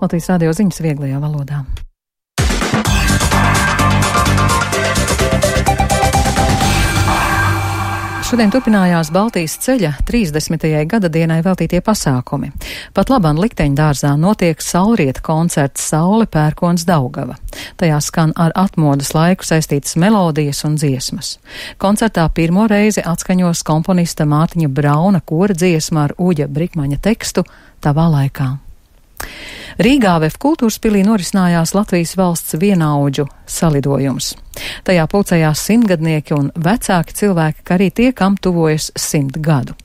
Latvijas radio ziņas vieglajā valodā. Šodien turpinājās Baltijas ceļa 30. gada dienai veltītie pasākumi. Pat labāk Likteņdārzā notiek saulrieta koncerts Saule, pērkons, Daugava. Tajā skan ar atmodas laiku saistītas melodijas un dziesmas. Koncertā pirmo reizi atskaņos komponista Mārtiņa Brauna kora dziesma ar Uģa Brikmaņa tekstu Tavā laikā. Rīgā VF Kultūrspilī norisinājās Latvijas valsts vienaudžu salidojums. Tajā pulcējās simtgadnieki un vecāki cilvēki, kā arī tie, kam tuvojas 100 gadu.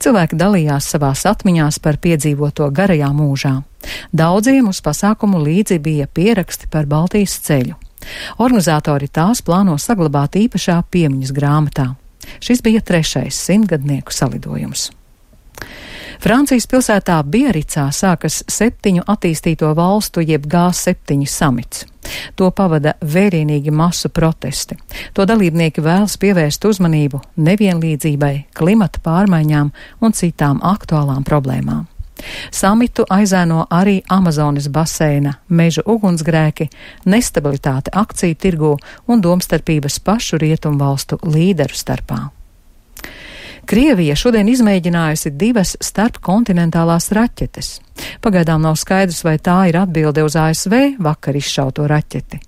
Cilvēki dalījās savās atmiņās par piedzīvoto garajā mūžā. Daudziem uz pasākumu līdzi bija pieraksti par Baltijas ceļu. Organizatori tās plāno saglabāt īpašā piemiņas grāmatā. Šis bija 3. simtgadnieku salidojums. Francijas pilsētā Biaricā sākas 7 attīstīto valstu jeb G7 samits. To pavada vērienīgi masu protesti. To dalībnieki vēlas pievērst uzmanību nevienlīdzībai, klimata pārmaiņām un citām aktuālām problēmām. Samitu aizēno arī Amazonas baseina meža ugunsgrēki, nestabilitāte akciju tirgū un domstarpības pašu rietumu valstu līderu starpā. Krievija šodien izmēģinājusi 2 starpkontinentālās raķetes. Pagaidām nav skaidrs, vai tā ir atbilde uz ASV vakar izšauto raķeti.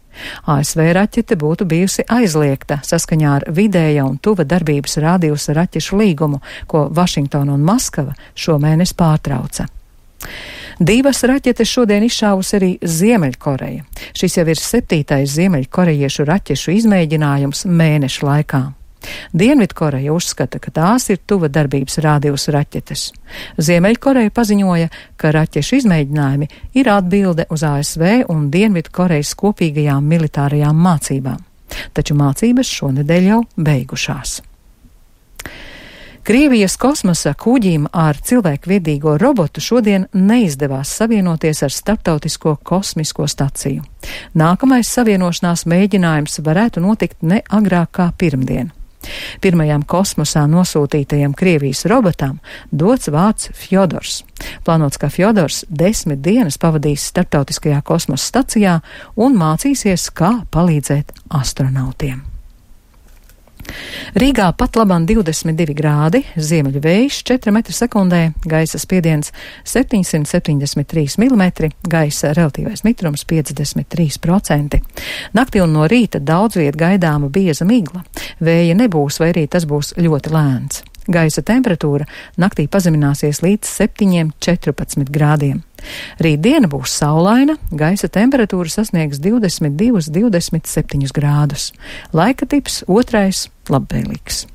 ASV raķete būtu bijusi aizliegta saskaņā ar vidēja un tuva darbības rādījusa raķešu līgumu, ko Vašingtona un Maskava šomēnes pārtrauca. 2 raķetes šodien izšāvusi arī Ziemeļkoreja. Šis jau ir 7. ziemeļkorejiešu raķešu izmēģinājums mēneša laikā. Dienvidkoreja uzskata, ka tās ir tuva darbības rādījusa raķetes. Ziemeļkoreja paziņoja, ka raķešu izmēģinājumi ir atbilde uz ASV un Dienvidkorejas kopīgajām militārajām mācībām. Taču mācības šonedēļ jau beigušās. Krievijas kosmosa kuģim ar cilvēkviedīgo robotu šodien neizdevās savienoties ar Starptautisko kosmisko staciju. Nākamais savienošanās mēģinājums varētu notikt ne agrāk kā pirmdien. Pirmajam kosmosā nosūtītajam Krievijas robotam dots vārds Fjodors. Plānots, ka Fjodors 10 dienas pavadīs Starptautiskajā kosmosa stacijā un mācīsies, kā palīdzēt astronautiem. Rīgā pat labāk 22 grādi, ziemeļu vējš 4 m/sekundē, gaisa spiediens 773 mm, gaisa relatīvais mitrums 53%. Naktī un no rīta daudz viet gaidāma bieza migla. Vēja nebūs, vai arī tas būs ļoti lēns. Gaisa temperatūra naktī pazemināsies līdz 7–14 grādiem. Rītdiena būs saulaina, gaisa temperatūra sasniegs 22–27 grādus. Laika tips 2. labvēlīgs.